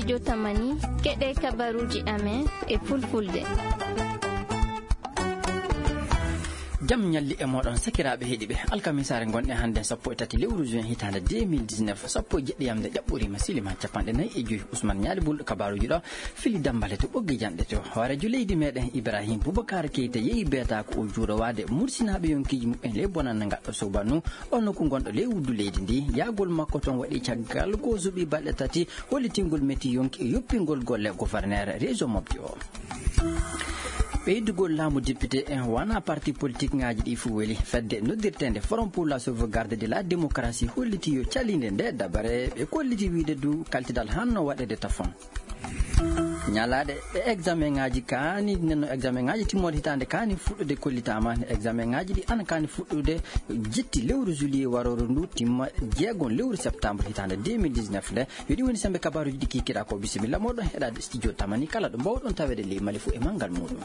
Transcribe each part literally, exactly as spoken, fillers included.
Jotamani, keɗe kabaruji amen e fulfulde. Jam ñalli e moɗon, sakiraaɓe heɗiɓe. Alkamisaare ngonɗen hannde sappo e tati lewru juin hitaande deux mille dix-neuf, sappo e jeɗɗi yamde ƴaɓɓoriima silima capanɗe nayi e joyi. Ousmane Ñaali Bul, kabaruji ɗo fili dambale to ɓoggi janɗe to. Hoorejo leydi meɗen Ibrahim Boubacar Keita yeeyi beeta ko o juurowaade mursinaaɓe yonkiji muɓɓen ley bonannde ngaɗɗo sobanu, o nokku gonɗo ley wuddu leydi ndi. Yaagol makko toon waɗi caggal ko zuɓi balɗe tati hollitingol metti yonki e yoppingol golle gouverneur région mofti o. Ɓeydugol laamu député en wona parti politique ngaji ɗi fof weli. Fedde noddirtende Forum pour la sauvegarde de la démocratie holliti yo calinde nde dabare, ɓe kolliti wiide du kaltidal hanno waɗede tafon. Ñalaɗe e examen ngaji kaani, nenno examen ngaji timmode hitaande kaani fuɗɗude kollitama. Examen ngaji ɗi ana kaani fuɗɗude jetti lewru juillet waroro ndu, timma jeegon lewru septembre hitaande deux mille dix-neuf nde. Yo ɗi woni sembe kabaruji ɗi kikiɗa ko. Bisimilla moɗon heɗade studio tamani kala ɗo mbawɗon tawede ley mali fu e mangal muɗum.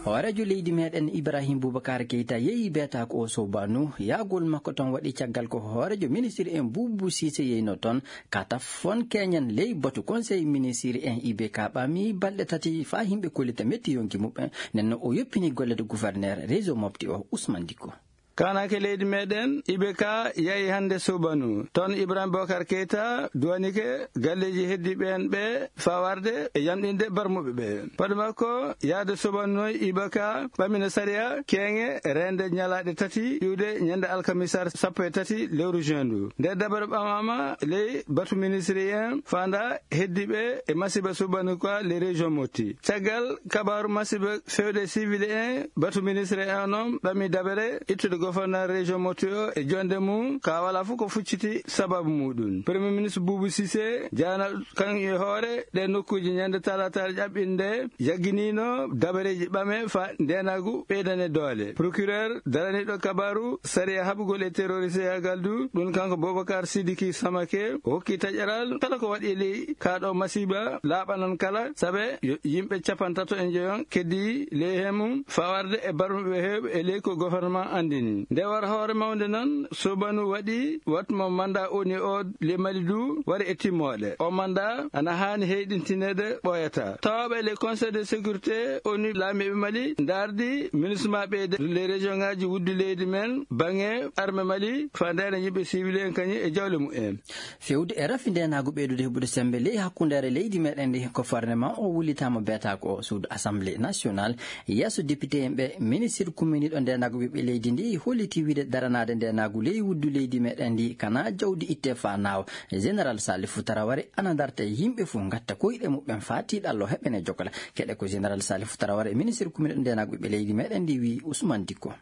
Hoorejo leydi meɗen Ibrahim Boubacar Keita yeeyi beeta ko o sobanu. Yaagol makko toon waɗi caggal ko hoorejo ministre en Boubou Cissé yeeyno toon. Ka tafon keñen ley batu conseil ministre en I B K ɓami balɗe tati faa yimɓe kollita metti yonki muɓɓen. Nenno o yoppini golle de gouverneur région mofti o Ousmane Dicko. Kaanake leydi meɗen I B K yahi hannde subanu. Toon Ibrahim Bokar Keita duwanike galleeji heddiiɓe en ɓe faa warde e yamɗinde barmuɓe ɓe. Fade makko yahde subanu noon I B K ɓamina sariya keeŋe reende ñalaaɗe tati iwde ñande alkamisaare sappo e tati lewru juin ndu. Nde dabare ɓamaama ley batu ministre en faanda heddiiɓe e masiiba subanu ka les régions motti. Caggal kabaaru masiiba fewde civil en, batu ministre en noon ɓami dabere ittude gouverneur région motti o e jonde mum ka wala fof ko fucciti sababu muɗum. Premier ministre Boubou Cissé jaana kan e hoore ɗe nokkuji ñande talataare ƴaɓɓinde jagginino dabareji ɓame fa ndenagu ɓeydane doole. Procureur daraniɗo kabaaru sariya haɓugol e terroriste yagal du, ɗum kanko Boubacar Sidiki Samake o hokki taƴaral kala ko waɗi e ley ka ɗo masiiba laaɓanan kala, sabe yo yimɓe capantato e njoyon keddi ley he mum fawarde e barmuɓe heewɓe e ley ko gouvernement andini. Nde war hoore mawnde noon, Sobanu waɗi watmo manda oni o le Mali du wari e timmoɗe. O manda ana haani heyɗintinede ɓooyata. Tawaaɓe le Conseil de sécurité oni laamiiɓe Mali ndardi ministre maɓɓe de les régions ngaji wuddu leydi men, bange armée Mali, fa ndayna yimɓe civil en kañum e jawle mumen. Fewde e rafi ndenaagu ɓeydude heɓude sembe ley hakkundeere leydi meɗen ndi, ko farnema o wullitaama beetaako o suudu Assemblée nationale. Yeeso député en ɓe, ministre kumminiiɗo ndenaagu ɓiɓɓe leydi ndi holliti wiide daranaade ndenaagu ley wuddu leydi meɗen ndi kana jawdi itte fa naaw. Général Salifou Traoré ana darta e yimɓe fof ngatta koyɗe muɓɓen fa tiiɗallo heɓene jokala. Keɗe ko général Salifou Traoré, ministre kumminiiɗo ndenaagu ɓiɓɓe leydi meɗen ndi, wi Ousmane Dicko.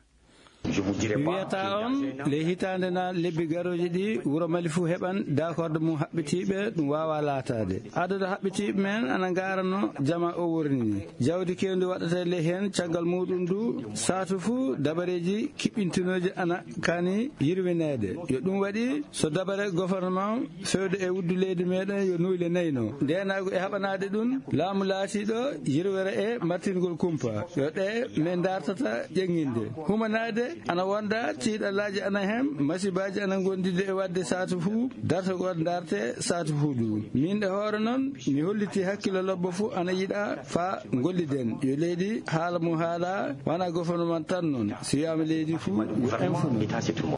Mi wiyata on, ley hitaande na lebbi garooji ɗi, wuro Mali fuu heɓan daakorde mum haɓɓitiiɓe, ɗum waawaa laataade. Adadu haɓɓitiiɓe men ana ngaarano jama o worni ni. Jawdi keewndi waɗata ley heen, caggal muuɗum du, saatu fuu dabareeji kiɓɓintinooji ana kaani yirwineede. Yo ɗum waɗi so dabare gouvernement fewde e wuddu leydi meɗen yo nuule nayno. Ndeenaagu e haɓanaade ɗum, laamu laatiiɗo yirwere e martingol kumpa. Yo ɗe men dartata ƴeŋŋinde. Humanaade ana wonda tiiɗalaaji ana hen, masibaaji ana ngondide e waɗde saatu fuu, dartagol darte saatu fuu du. Min e hoore noon, mi holliti hakkilo lobbo fuu ana yiɗa fa ngolliden. Yo leydi haala mo haala, wana gouvernement tan noon. Si wiyaama leydi fuu, yo en fuu noon.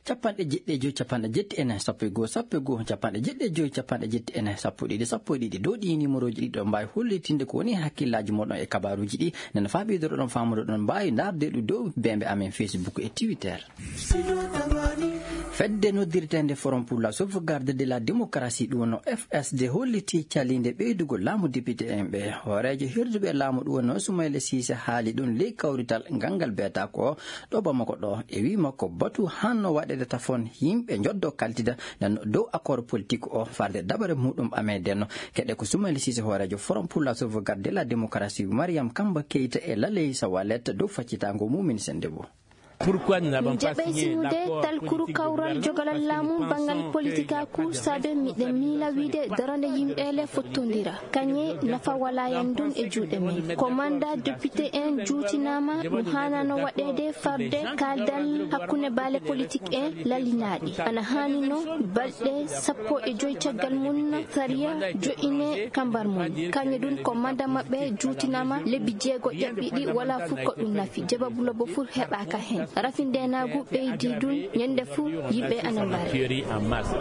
Capanɗe jeɗɗi e joyi, capanɗe jetti e nayi, sappo e goo, sappo e goo, capanɗe jeɗɗi e joyi, capanɗe jetti e nayi, sappo e ɗiɗi, sappo e ɗiɗi. Dow ɗii numéroji ɗiɗo mbaawi hollitinde ko woni hakkillaaji moɗon e kabaaruji ɗi. Nden faa ɓeydoroɗon faamudoɗon mbaawi ndaarde ɗum dow beembe amen Facebook e Twitter. Fedde noddirteende Forum pour la sauvegarde de la démocratie, ɗum wonno F S D, holliti caliinde ɓeydugol laamu député en ɓe. Hooreejo hirduɓe laamu, ɗum wonno Soumaïla Cissé, haali ɗum ley kawrital ngal ngal beeta ko ɗo Bamako ɗo, e wii makko batu hanno waɗede tafon yimɓe njoddo kaltida nan dow accord politique o farde dabare muɗum ɓamedenno. Keɗe ko Soumaïla Cissé, hooreejo Forum pour la sauvegarde de la démocratie, Mariam Kamba Keita e Laleysa Wallet dow faccitango mumin sende bo. Pourquoi nous n'avons pas signé l'accord politique de gouvernement? Njaɓay sinude talkuru kawral jogalal laamu banngal politikaaku, saabe miɗen miila wiide darande yimɓe le fottondira. Kañe nafa walaa en ɗum e juuɗe men. Ko manda député en juutinaama, ɗum haanano waɗeede farde kaaldal hakkunde baale politik en lallinaaɗi. Ana haanino balɗe sappo e joy caggal mum sariya jo'ine kambar mum. Kañe ɗum ko manda maɓɓe juutinaama lebbi jeego ƴaɓɓiɗi, wala fof ko ɗum nafi. Jebabu lobo fof heɓaaka heen. Rafi ndeenaagu ɓeydi ɗum, ñande fof yimɓe ana mbara.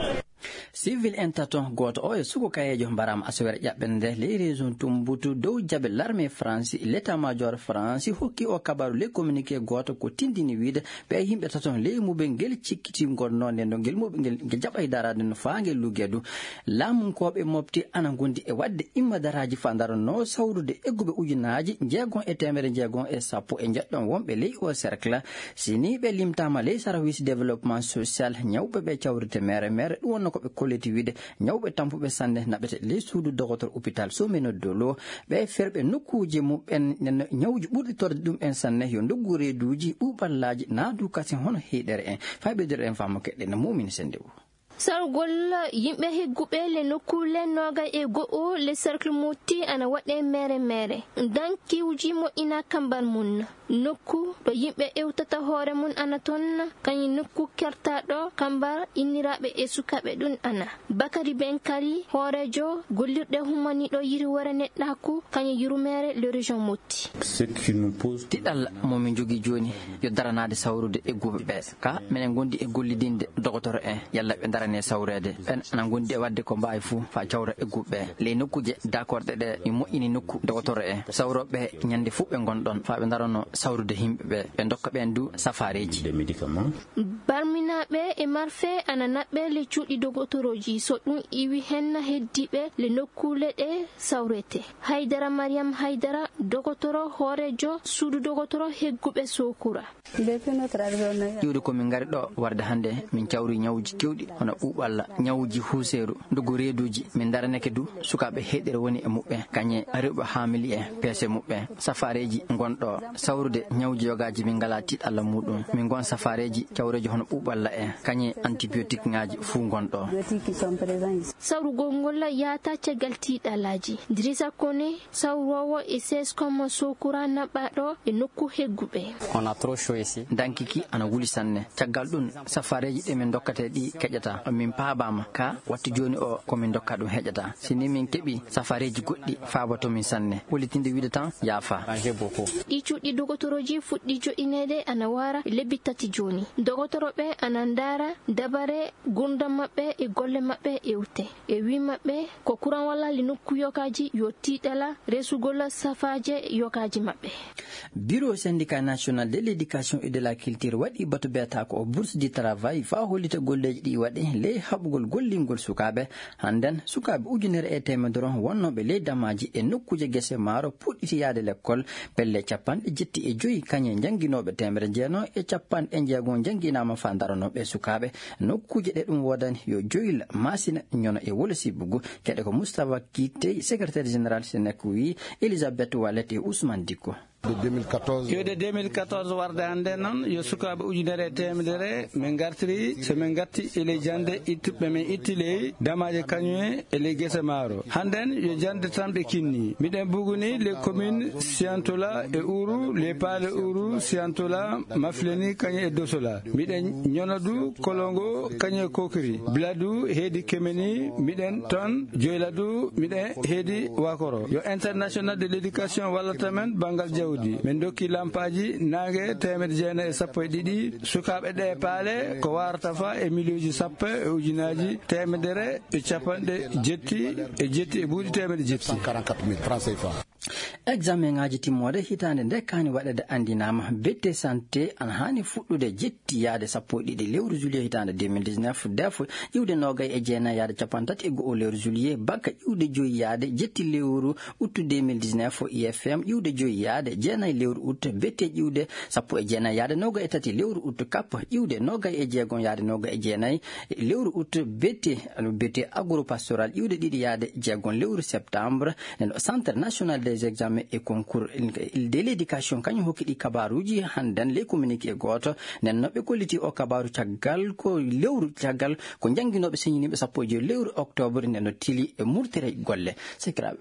Civil en tato, gooto o e suko kayeejo, mbaraama asawere ƴaɓɓere nde ley région Tumbutu dow jaɓe l'armée France, l'état-major France hokki o kabaru ley communiqué gooto ko tindini wiide ɓe yimɓe tato ley muɓe ngel cikkiti ngonnoo nde no ngel muɓe ngel, ngel jaɓay daraade no faa ngel lugee du. Laamunkooɓe mofti ana ngondi e waɗde immadaraaji faa ndaranoo sawrude egguɓe ujunaaji jeegom e teemedere jeegom e sappo e njeɗɗon wonɓe ley o cercle. Si nii ɓe limtaama ley service développement social, ñawɓe ɓe cawrite mere mere, ɗum wonno ko ɓe kolliti wiide ñawɓe tampuɓe sanne naɓete ley suudu dogotor hôpital Someno Dolo. Ɓe ferɓe nokkuuji muɓɓen, nen ñawji ɓurɗi torde ɗum en sanne yo ndoggu reeduuji, ɓuuɓallaaji, naadu kasin hono heyɗere en. Faa ɓeydoɗen faamu keɗɗen Mumini Sendewu. Sargol yimɓe hegguɓe le nokkuule noogay e go'o le cercle Motti ana waɗe mere mere. Dankiwji moƴƴina kambar mum. Nokku ɗo yimɓe ewtata hoore mum ana toon, kañum nokku kertaɗo kambar inniraaɓe e sukaaɓe ɗum ana. Bakari Ben Kari, hooreejo gollirɗe hummaniiɗo yirwere neɗɗaaku, kañum yurmeere le région Motti. Tiɗal mo min njogii jooni yo daranaade sawrude egguɓe ɓe. Ka minen ngondi e gollidinde dogotoro en, yalla ɓe ndarane sawreede. Ɓen ana ngondi e waɗde ko mbaawi fuu faa cawra egguɓe ɓe. Ley nokkuuje daakorɗe ɗe, mi moƴƴini nokku dogotoro en, sawrooɓe ɓe ñande fuu ɓe ngon ɗon faa ɓe ndarano sawrude yimɓe ɓe, ɓe ndokka ɓeen du safaareeji. Barminaaɓe e marfe ana naɓɓe le cuuɗi dogotorooji, so ɗum iwi heen heddiiɓe le nokkuule ɗe sawrete. Haydara Mariam Haydara, dogotoro hooreejo suudu dogotoro hegguɓe Sokura. Iwde ko min ngari ɗo warde hannde, min cawri ñawuuji keewɗi, hono ɓuuɓalla, ñawuuji huuseeru, ndugu reeduuji. Min ndaranake du sukaaɓe heyɗere woni e muɓɓen, kañe rewɓe haamili en, peese muɓɓen. Safaareeji ngon ɗo sawrude ñawuuji yogaaji, min ngalaa tiiɗalla muuɗum. Min ngon safaareeji cawreeji hono ɓuuɓalla en, kañe antibiotique ŋaaji fuu ngon ɗo. Sawrugol ngol yaata caggal tiiɗallaaji. Dirisa Kone, sawroowo e seskom Sokura naɓɓaaɗo e nokku hegguɓe. Dankiki ana wuli sanne. Caggal ɗum, safaareeji ɗi min ndokkata ɗi keƴataa. Min paabaama ka wattu jooni o ko min ndokka ɗum heƴataa. Si ni min keɓi safaareeji goɗɗi faaboto min sanne. Wulitinde wiide tan yaafa. Ɗi cuuɗi dogotorooji fuɗɗi jo'ineede ana waara lebbi tati jooni. Dogotorooɓe ana ndaara dabare gurdam maɓɓe e golle maɓɓe ewte. E wii maɓɓe ko kuran walla li nokku yokaaji yo tiiɗala resugol safaaje yokaaji maɓɓe. Bureau syndicat national de l'éducation et de la culture waɗi batu beetaako o bourse du travail faa hollita golleeji ɗi waɗi ley haɓugol gollingol sukaaɓe. Hannden sukaaɓe ujunere e teemedere wonnooɓe ley damaaji e nokkuuje gese maaro puɗɗiti yaade lekkol. Pelle capanɗe jetti e joyi kañe njannginooɓe teemedere jeenoo e capanɗe jeegom njannginaama faa ndaranooɓe sukaaɓe. Nokkuuje ɗe ɗum woodani yo joyla, Masina, Ñono e Wolo Sibbugu. Keɗe ko Moustapha Kittey, secrétaire général Senec, wii Elisabeth Wallet e Ousmane Dikko. Iwde deux mille quatorze warde hannde noon, yo sukaaɓe ujunere e teemedere min ngartiri, so min ngatti e ley jannde ittuɓe min itti ley damaaje kañum e ley gese maaro. Hannden yo jannde tan ɓe kinni. Miɗen buguni les communes Siantola e Ourou, les paale Ourou, Siantola, Mafleni, kañum e Dosola. Miɗen Ñono du, Kolongo, kañum e Kokiri. Biladu heedi Kemeni, miɗen toon Joyladu, miɗen heedi Wakoro. Yo international de l'éducation wallata men banngal jawdi. Min ndokki lampaaji naange teemedde jeenayi e sappo e ɗiɗi. Sukaaɓe ɗe paale ko waarata fa e miliyonji sappo e ujunaaji teemedere e capanɗe jetti e jetti e buuɗi teemedde jetti. Examen ŋaaji timmoode hitaande nde kaani waɗeede anndinaama. Bette santé ana haani fuɗɗude jetti yaade sappo e ɗiɗi lewru juillet hitaande deux mille dix-neuf, def iwde noogay e jeenayi yaade capanɗe tati e go'o lewru juillet, bakka iwde joyi yaade jetti lewru août deux mille dix-neuf, I F M iwde joyi yaade jeenayi lewru août, bette iwde sappo e jeenayi yaade noogay e tati lewru août, kap iwde noogay e jeegom yaade noogay e jeenayi lewru août, bette, bette agropastoral iwde ɗiɗi yaade jeegom lewru septembre. Nden ɗo Centre National des Examens E concours de l'éducation kañum hokki ɗi kabaruuji hannden ley communiqué gooto. Nden no ɓe kolliti o kabaru caggal ko lewru caggal ko jannginooɓe señiniiɓe sappo e joy lewru octobre nden no tili e murtere golle. Sakiraaɓe.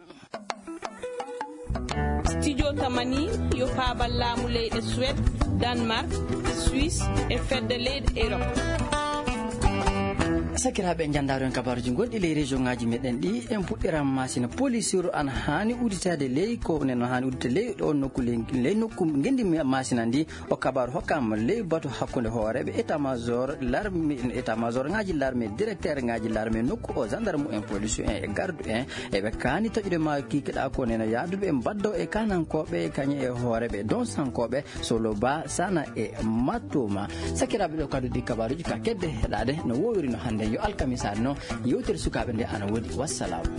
Studio Tamani yo faabal laamu leyɗe Suède, Danemark, Suisse e fedde leyɗe Europe. Sakiraaɓe, njanndaaro en kabaruuji gonɗi ley région ŋaaji meɗen ɗi, en puɗɗiran masina. Polisuru ana haani udditaade ley ko neno haani udditaade ley ɗo nokku ley ley nokku ngenndi masina ndi. O kabaru hokkaama ley batu hakkunde hooreeɓe état major larme état major ŋaaji larme directeur ŋaaji larme nokku o gendarme en police en e gardu en. Eɓe kaani toƴude ma kikiɗa ko neno yaaduɓe mbaddo e kanankooɓe kañe e hooreeɓe donsankooɓe solo ba sana e mattuma. Sakiraaɓe, ɗo kadi ɗi kabaruuji ka kedde heɗaade no wowiri no hannde. Yo alkamisa no yewtere sukaaɓe nde ana woodi. Wassalaamu.